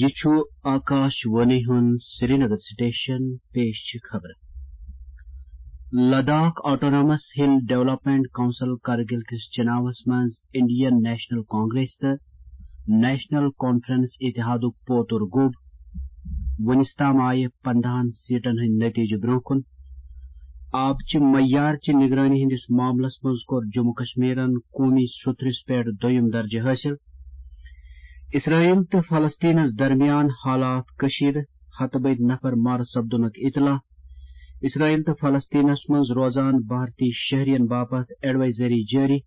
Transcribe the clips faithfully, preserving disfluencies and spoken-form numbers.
یہِ چھُ آکاش وانی ہُنٛد سرینگر سٹیشن۔ پیش چھِ خبرٕ۔ لداخ آٹونامس ہل ڈیولپمنٹ کونسل کرگل کِس چناوس منٛز انڈین نیشنل کانگریس تہٕ نیشنل کانفرنس اتحادُک پوتُر گوٚب۔ وُنِس تام آیہِ پندہن سیٹن ہٕنٛدۍ نتیجہٕ برونٛہہ کُن۔ آبچہِ معیارچہِ نگرٲنی ہٕنٛدِس معاملس منٛز کوٚر جموں کشمیرن قومی سوٚتھرِس پٮ۪ٹھ دوٚیُم درجہٕ حٲصِل۔ اسرائیل تہٕ فلسطینس درمیان حالات کشیدٕ، ہتہٕ بٔدۍ نفر مارٕ سپدُنُک اطلاع۔ اسرائیل تہٕ فلسطینس منٛز روزان بھارتی شہرین باپتھ ایڈوائزری جٲری۔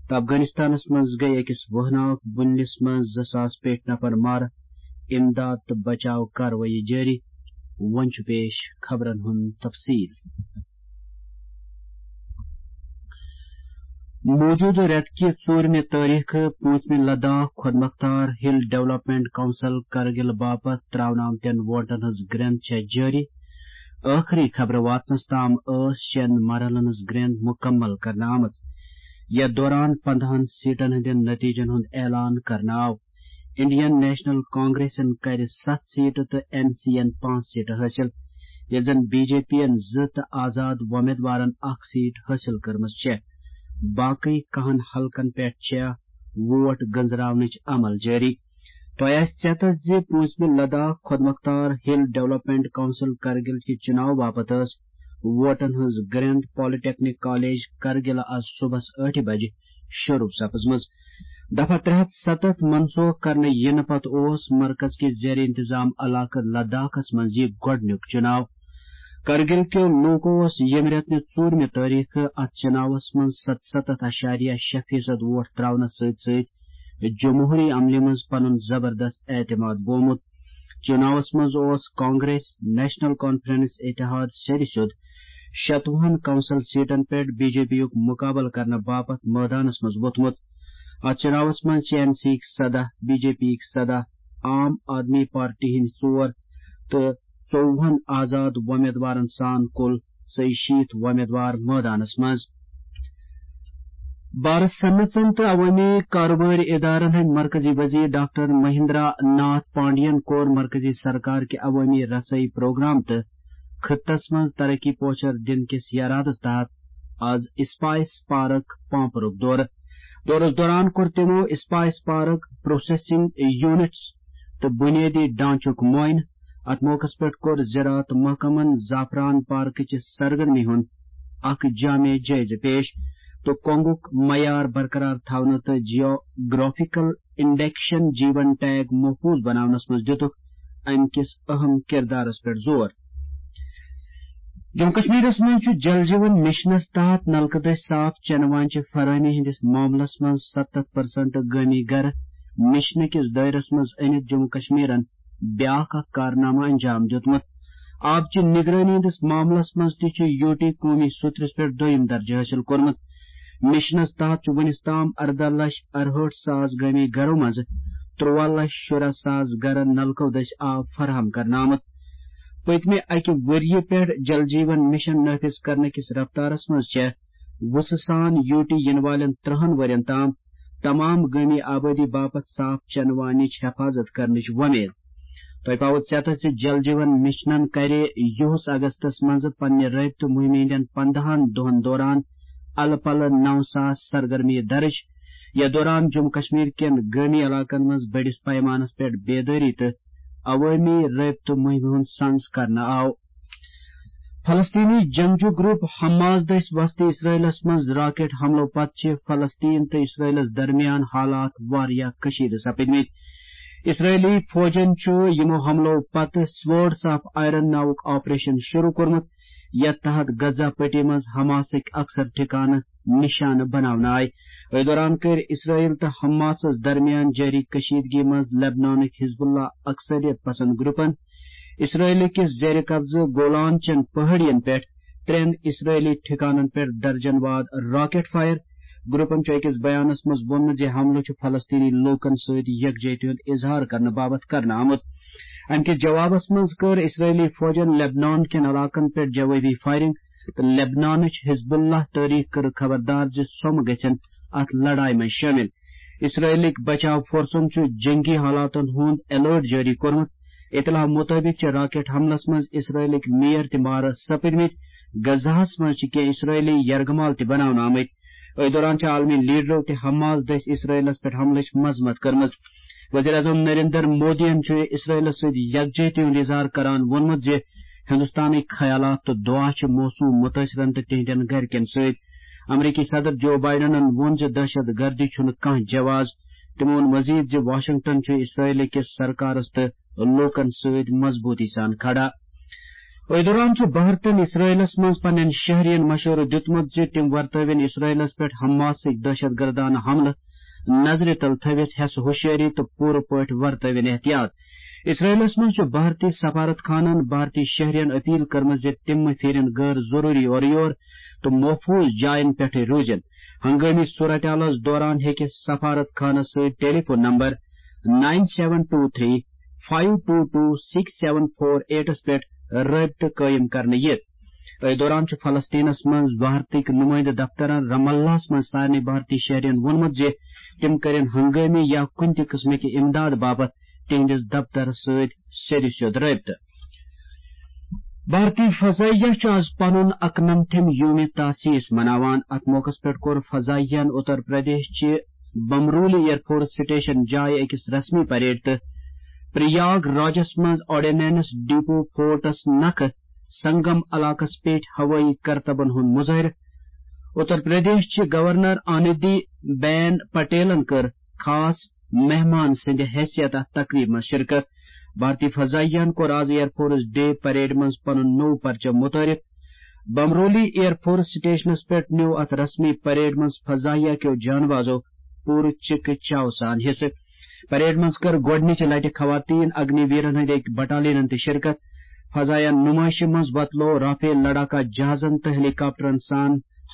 تہٕ افغانستانس منٛز گٔیہِ أکِس وہناک بُنلِس منٛز زٕ ساس پیٹھۍ نفر مارٕ، امداد تہٕ بچاو کاروٲیی جٲری۔ وۄنۍ چھُ پیش خبرن ہُنٛد تفصیل۔ موجودٕ رٮ۪تہٕ کہِ ژوٗرمہِ تٲریخہٕ پوٗنٛژمہِ لداخ خۄد مختار ہل ڈیولپمنٹ کونسل کرگل باپتھ تراونہٕ آمتٮ۪ن ووٹن ہٕنٛز گرٛنٛد چھےٚ جٲری۔ ٲخری خبرٕ واتنس تام ٲس شٮ۪ن مرحلن ہٕنٛز گرٛنٛد مُکمل کرنہٕ آمٕژ، یتھ دوران پندہن سیٹن ہٕنٛدٮ۪ن نتیجن ہُنٛد اعلان کرنہٕ آو۔ انڈین نیشنل کانگریسن کرِ ستھ سیٹہٕ تہٕ این سی ین پانٛژھ سیٹہٕ حٲصِل، ییٚلہِ زن بی جے پی ین زٕ تہٕ آزاد وۄمیدوارن اکھ سیٹ حٲصِل کٔرمٕژ چھےٚ۔ باقٕے کاہن حلقن پٮ۪ٹھ چھےٚ ووٹ گنزراونٕچ عمل جٲری۔ تۄہہِ آسہِ ژیتس زِ پوٗنٛژمہِ لداخ خۄد مختار ہل ڈیولپمنٹ کونسل کرگل کہِ چُناو باپتھ ٲس ووٹن ہٕنٛز گرٛنٛد پالیٹیکنک کالج کرگل آز صبحس ٲٹھِ بجہِ شروع سپٕزمٕژ۔ دفعہ ترٛےٚ ہتھ ستتھ منسوخ کرنہٕ یِنہٕ پتہٕ اوس مرکز کِس زیر انتظام علاقہٕ لداخس منٛز یہِ گۄڈٕنیُک چُناو۔ کرگل کیو لوٗکو اوس ییٚمہِ رٮ۪تہٕ نہِ ژوٗرمہِ تٲریخہٕ اتھ چُناوس منٛز ستستتھ اشاریہ شےٚ فیصد ووٹ تراونس سۭتۍ سۭتۍ جمہوری عملہِ منٛز پنُن زبردست اعتماد بومُت۔ چُناوس منٛز اوس کانگریس، نیشنل کانفرنس اتحاد سیٚدِ سیوٚد شتوُہن کونسل سیٹن پٮ۪ٹھ بی جے پی یُک مُقابلہٕ کرنہٕ باپتھ مٲدانس منٛز ووٚتھمُت۔ اتھ چُناوس منٛز چھِ این سی یِکۍ سداہ، بی جے پی یِکۍ سداہ، عام آدمی پارٹی ہٕنٛدۍ ژور تہٕ ژووُہن آزاد وۄمیدوارن سان کُل ژۄیہِ شیٖتھ وۄمیدوار مٲدانس منٛز۔ بھارت صنعژن تہٕ عوٲمی کارٕبٲرۍ ادارن ہٕنٛدۍ مرکزی وزیر ڈاکٹر مہندرا ناتھ پانڈین کوٚر مرکزی سرکار کہِ عوٲمی رسٲیی پروگرام تہٕ خطس منٛز ترقی پوچھر دِنہٕ کِس یرادس تحت آز اسپائس پارک پانپرُک دورٕ۔ دورس دوران کوٚر تِمو اسپائس پارک، پروسیسنگ یونٹس تہٕ بنیٲدی ڈھانچُک معائنہٕ۔ اتھ موقعس پٮ۪ٹھ کوٚر زراعت محکمن زعفران پارکٕچہِ سرگرمی ہُنٛد اکھ جامع جٲیزٕ پیش تہٕ کۄنگُک معیار برقرار تھاونہٕ تہٕ جیوگرافیکل انڈیکشن جیون ٹیگ محفوظ بناونس منٛز دِتُکھ امہِ کِس اہم کردارس پٮ۪ٹھ زور۔ جموں کشمیرس منٛز چھُ جل جیون مشنس تحت نلکہٕ دٔسۍ صاف چنہٕ واجہِ فراہمی ہٕنٛدِس معاملس منٛز ستتھ پرسنٹ گٲمی گرٕ مشنہٕ کِس دٲیرس منٛز أنِتھ جموں کشمیرن بیاکھ اکھ کارنامہٕ انجام دیُتمُت۔ آبچہِ نگرٲنی ہٕنٛدِس معاملس منٛز تہِ چھُ یوٗ ٹی قومی سوٚتھرِس پٮ۪ٹھ دوٚیُم درجہٕ حٲصِل کوٚرمُت۔ مشنس تحت چھُ وُنِس تام ارداہ لچھ ارہٲٹھ ساس گٲمی گرو منٛزٕ ترٛواہ لچھ شُراہ ساس گرن نلکو دٔسۍ آب فراہم کرنہٕ آمُت۔ پٔتمہِ اکہِ ؤریہِ پٮ۪ٹھ جل جیون مشن نافذ کرنہٕ کِس رفتارس منٛز چھےٚ وُژھٕ سان یوٗ ٹی یِنہٕ والٮ۪ن ترٛہن ؤرین تام تمام گٲمی آبٲدی باپتھ صاف چنہٕ واجنِچ حفاظت کرنٕچ وۄمید۔ تۄہہِ پاوو ژیتس زِ جل جیون مشنن کرِ یُہُس اگستس منٛز پننہِ رٲبطہٕ مُہِمہِ ہٕنٛدٮ۪ن پندہن دۄہن دوران الہٕ پلہٕ نو ساس سرگرمی درج۔ یتھ دوران جموں کشمیر کٮ۪ن گٲمی علاقن منٛز بٔڑِس پیمانس پٮ۪ٹھ بیدٲری تہٕ عوٲمی رٲبطہٕ مُہِمہِ ہُنٛد سنز کرنہٕ آو۔ فلسطینی جنگجو گروپ حماس دٔسۍ وسطی اسرائیلس منٛز راکٹ حملو پتہٕ چھِ فلسطین تہٕ اسرائیلس درمیان حالات واریاہ کشیدٕ سپدمٕتۍ۔ اسرائیلی فوجن چھُ یِمو حملو پتہٕ سورڈس آف آئرن ناوُک آپریشن شروع کوٚرمُت، یتھ تحت غزہ پٹی منٛز حماسٕکۍ اکثر ٹھکانہٕ نشانہٕ بناونہٕ آیہِ۔ أتھۍ دوران کٔرۍ اسرائیل تہٕ حماسس درمیان جٲری کشیدگی منٛز لبنانٕکۍ حزب اللہ اکثریت پسند گروپن اسرائیل کِس زیر قبضہٕ گولان چٮ۪ن پہاڑین پٮ۪ٹھ ترٛٮ۪ن اسرائیلی ٹھکانن پٮ۪ٹھ درجن واد راکٹ فائر۔ گروپن چھُ أکِس بیانس منٛز ووٚنمُت زِ حملہٕ چھُ فلسطینی لوٗکن سۭتۍ یکجہتی ہُنٛد اظہار کرنہٕ باپتھ کرنہٕ آمُت۔ امہِ کِس جوابس منٛز کٔر اسرائیلی فوجن لبنان کٮ۪ن علاقن پٮ۪ٹھ جوابی فائرنگ تہٕ لبنانٕچ حزب اللہ تٲریخ کٔرٕکھ خبردار زِ سۄ مہٕ گژھن اتھ لڑایہِ منٛز شٲمِل۔ اسرائیلٕکۍ بچاو فورسن چھُ جنگی حالاتن ہُنٛد الرٹ جٲری کوٚرمُت۔ اطلاع مُطٲبِق چھِ راکٹ حملس منٛز اسرائیلٕکۍ میر تہِ مارٕ سپٕدمٕتۍ۔ غزہس منٛز چھِ کینٛہہ اسرائیلی یرغمال تہِ بناونہٕ آمٕتۍ۔ أتھۍ دوران چھِ عالمی لیڈرو تہِ حماس دٔسۍ اسرائیلس پٮ۪ٹھ حملٕچ مذمت کٔرمٕژ۔ وزیر اعظم نریندر مودیَن چھُ اسرائیلس سۭتۍ یکجہتی ہُنٛد اظہار کران ووٚنمُت زِ ہندوستانٕکۍ خیالات تہٕ دعا چھِ موصوٗف مُتٲثرن تہٕ تِہنٛدٮ۪ن گرِکٮ۪ن سۭتۍ۔ امریکی صدر جو بائیڈنن ووٚن زِ دہشت گردی چھُنہٕ کانٛہہ جواز۔ تِمو ووٚن مزید زِ واشنگٹن چھُ اسرائیل کِس سرکارس تہٕ لوٗکن سۭتۍ مضبوٗطی سان کھڑا۔ أتھۍ دوران چھُ بھارتن اسرائیلس منٛز پننٮ۪ن شہرین مشورٕ دیُتمُت زِ تِم ورتٲوِن اسرائیلس پٮ۪ٹھ حماسٕکۍ دہشت گردانہٕ حملہٕ نظرِ تل تھٲوِتھ حٮ۪س ہوشیٲری تہٕ پوٗرٕ پٲٹھۍ ورتٲوِن احتیاط۔ اسرائیلس منٛز چھُ بھارتی سفارت خانن بھارتی شہرین اپیل کٔرمٕژ زِ تِم مہٕ پھیرن غٲر ضروٗری اورٕ یور تہٕ محفوظ جاین پٮ۪ٹھٕے روٗزِن۔ ہنگٲمی صورتحالس دوران ہیٚکہِ سفارت خانس سۭتۍ telephone number nine seven two three five two two six seven four eightس پٮ۪ٹھ رٲبطہٕ قٲیِم کرنہٕ یِتھ۔ أتھۍ دوران چھُ فلسطینس منٛز بھارتٕکۍ نُمٲیندٕ دفترن رام اللہس منٛز سارنٕے بھارتی شہرین ووٚنمُت زِ تِم کٔرِن ہنگٲمی یا کُنہِ تہِ قٕسمٕکہِ امداد باپتھ تِہنٛدِس دفترس سۭتۍ سیوٚدُے سیوٚد رٲبطہٕ۔ بھارتی فضائیہ چھُ آز پنُن اکنمتھم یوم تاسیس مناوان۔ اتھ موقعس پٮ۪ٹھ کوٚر فضائیہن اتر پردیش چہِ بمرولی ایئر فورس سٹیشن جایہِ أکِس رسمی پریڈ تہٕ پریاگ راجس منٛز آرڈیننس ڈیپو فورٹس نکھٕ سنگم علاقس پٮ۪ٹھ ہوٲیی کرتبن ہُنٛد مظٲہرٕ۔ اتر پردیش چہِ گورنر آنندی بین پٹیلن کٔر خاص مہمان سٕنٛدِ حیثیت اتھ تقریبہِ منٛز شرکت۔ بھارتی فضائیہن کوٚر آز ایئر فورس ڈے پریڈ منٛز پنُن نوٚو پرچم متعارف۔ بمرولی ایئر فورس سٹیشنس پٮ۪ٹھ نیوٗ اتھ رسمی پریڈ منٛز فضائیہ کیو جانبازو پوٗرٕ چِکہٕ چاو سان حصہٕ۔ پریڈ منٛز کٔر گۄڈٕنِچہِ لٹہِ خواتین اگنی ویرن ہٕنٛدِ أکۍ بٹالینن تہِ شرکت۔ فضائیہ نمائشہِ منٛز وۄتلوو رافیل لڑاکا جہازن تہٕ ہیلی کاپٹرن سان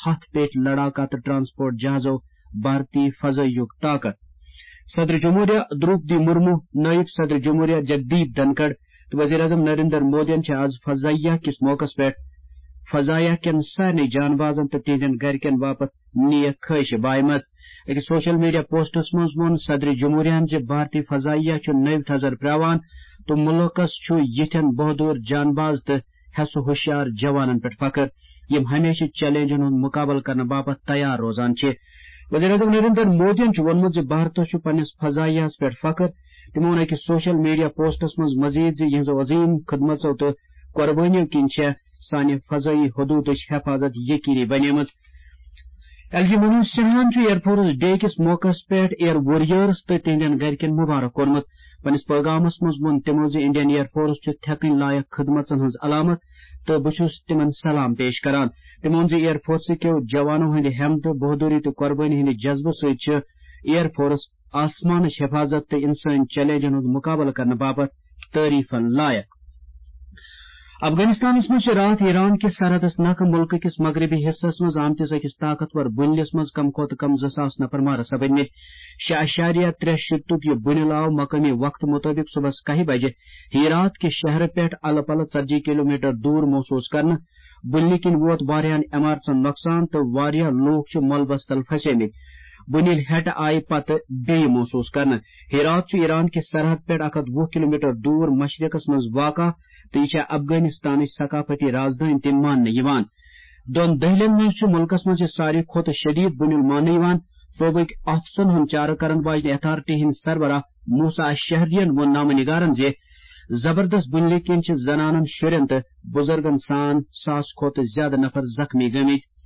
ہتھ پیٹھ لڑاکا تہٕ ٹرانسپورٹ جہازو بھارتی فضائیُک طاقت۔ صدر جمہوریہ دروپدی مرمو، نائب صدر جمہوریہ جگدیپ دھنکڑ تہٕ وزیر اعظم نریندر مودیَن چھِ آز فضائیہ کِس موقعس پٮ۪ٹھ فضائیہ کٮ۪ن سارنٕے جانبازن تہٕ تِہنٛدٮ۪ن گرِکٮ۪ن باپتھ نیک خواہشہٕ بایمژ۔ أکِس سوشل میڈیا پوسٹس منٛز ووٚن صدر جمہوریہن زِ بھارتی فضائیہ چھُ نٔوۍ تھزر پرٛاوان تہٕ مُلکس چھُ یِتھٮ۪ن بہادُر جانباز تہٕ حٮ۪س ہوشیار جوانن پٮ۪ٹھ فخر، یِم ہمیشہٕ چیلنجن ہُنٛد مُقابلہٕ کرنہٕ باپتھ تیار روزان چھِ۔ وزیر اعظم نریندر مودیَن چھُ ووٚنمُت زِ بھارتس چھُ پننِس فضائیہس پٮ۪ٹھ فخر۔ تِمو ووٚن أکِس سوشل میڈیا پوسٹس منٛز مزید زِ یِہنٛزو عظیم خدمژو تہٕ قربٲنیو کِنۍ چھےٚ سانہِ فضائی حدودٕچ حفاظت یقینی بنیمٕژ۔ ایل جی منوج سنہاہن چھُ ایئر فورس ڈے کِس موقعس پٮ۪ٹھ ایئر وارریئرز تہٕ تِہنٛدٮ۪ن گرِکٮ۪ن مبارک کوٚرمُت۔ پننِس پیغامس منٛز ووٚن تِمو زِ انڈین ایئر فورس چھُ تھٮ۪کٕنۍ لایق خدمژن ہٕنٛز علامت تہٕ بہٕ چھُس تِمن سلام پیش کران۔ تِمو ووٚن زِ ایئر فورسہٕ کیو جوانو ہٕنٛدِ ہمت، بہادری تہٕ قربٲنی ہٕنٛدِ جذبہٕ سۭتۍ چھُ ایئر فورس آسمانٕچ حفاظت تہٕ انسٲنی چیلنجن ہُنٛد مقابلہٕ کرنہٕ باپتھ تعریفن لایق۔ افغانستانس منٛز چھِ راتھ ایران کِس سرحدس نکھٕ مُلکہٕ کِس مغربی حصس منٛز آمتِس أکِس طاقتور بُنلِس منٛز کم کھۄتہٕ کم زٕ ساس نفر مارٕ سپٕدمٕتۍ۔ شےٚ اعشاریہ ترٛےٚ شیٖتُک یہِ بُنیل آو مقٲمی وقتہٕ مُطٲبِق صُبحس کاہہِ بجہِ ہیرات کہِ شہرٕ پٮ۪ٹھ الہٕ پلہٕ ژتجی کلومیٹر دوٗر محسوٗس کرنہٕ۔ بُنلہِ کِنۍ ووت واریاہن عمارژن نۄقصان تہٕ واریاہ لوٗکھ چھِ ملبس تل پھسیمٕتۍ۔ بُنیل ہیٹہٕ آیہِ پتہٕ بیٚیہِ محسوٗس کرنہٕ۔ ہیرات چھُ ایران کہِ سرحد پٮ۪ٹھ اکھ ہتھ وُہ کلومیٹر دوٗر مشرقس منٛز واقع تہٕ یہِ چھےٚ افغانستانٕچ ثقافتی رازدٲنۍ تہِ ماننہٕ یِوان۔ دۄن دٔہلٮ۪ن منٛز چھُ مُلکس منٛز یہِ ساروی کھۄتہٕ شدید بُنیُل ماننہٕ یِوان۔ صوبٕکۍ آفسن ہُنٛد چارٕ کرن واجنہِ اتھارٹی ہٕنٛدۍ سربراہ موسا شہریَن ووٚن نامہ نگارن زِ زبردست بُنیلہِ کِنۍ چھِ زنانن، شُرٮ۪ن تہٕ بُزرگن سان ساس کھۄتہٕ زیادٕ نفر زخمی گٔمٕتۍ۔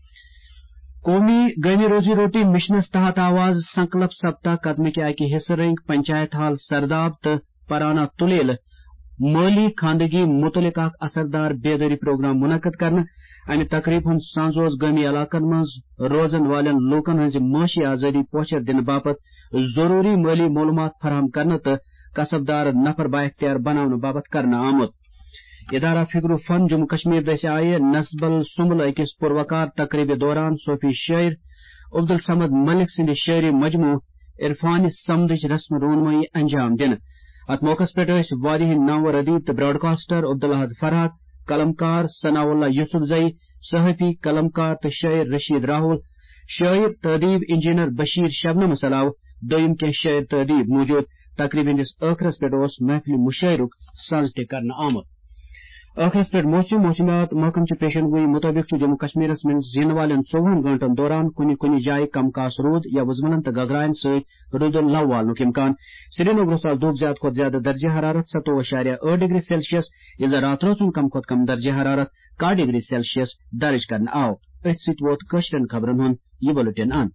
قومی گٲمی روزی روٹی مشنس تحت آو آز سنکلپ سپتا قدمہٕ کہِ اکہِ حصہٕ رٔنگۍ پنچایت ہال سرداب تہٕ پرانا تلیلہٕ مٲلی خواندگی متعلق اکھ اثردار بیدٲری پروگرام منعقد کرنہٕ۔ امہِ تقریبہِ ہُنٛد سنز اوس گٲمی علاقن منٛز روزن والٮ۪ن لوٗکن ہٕنٛزِ معاشی آزٲدی پوچھر دِنہٕ باپتھ ضروٗری مٲلی معلوٗمات فراہم کرنہٕ تہٕ کسب دار نفر بااختیار بناونہٕ باپتھ کرنہٕ آمُت۔ ادارہ فکر و فن جموں کشمیر دٔسۍ آیہِ نسبل سُمبل أکِس پُروقار تقریبہِ دوران صوفی شٲعر عبدالصمد ملک سٕنٛدِ شٲعری مجموعہٕ عرفانِ صمدٕچ رسم رونمٲیی انجام دِنہٕ۔ اتھ موقعس پٮ۪ٹھ ٲسۍ واریاہ نامور ادیب تہٕ براڈکاسٹر عبدالاحد فرحت، قلمکار ثناء اللہ یوسف زئی، صحافی، قلمکار تہٕ شٲعر رشید راہول، شٲعر تہٕ ادیب انجینئر بشیر شبنمس علاوٕ دوٚیِم کینٛہہ شٲعر تہٕ ادیٖب موٗجوٗد۔ تقریٖبہِ ہٕنٛدِس ٲخرس پٮ۪ٹھ اوس محفلہِ مُشٲعرُک سَز تہِ کرنہٕ آمُت۔ ٲخرس پٮ۪ٹھ موسمی موسمیات محکمہٕ چہِ پیشن گویی مُطٲبِق چھُ جموں کشمیرس منٛز یِنہٕ والٮ۪ن ژوٚوُہن گٲنٛٹن دوران کُنہِ کُنہِ جایہِ کم کاس روٗد یا وُزملن تہٕ گگراین سۭتۍ روٗدُن لو والنُک امکان۔ سرینگرس آز دۄب زیادٕ کھۄتہٕ زیادٕ درجہ حرارت ستووُہ اعشاریہ ٲٹھ ڈگری سیلسیس، ییٚلہِ زن راتھ رٲژ ہُنٛد کم کھۄتہٕ کم درجہ حرارت کاہ ڈگری سیلسیس درج کرنہٕ آو۔ أتھۍ سۭتۍ ووت کٲشرٮ۪ن خبرن ہُنٛد یہِ بُلٹن اند۔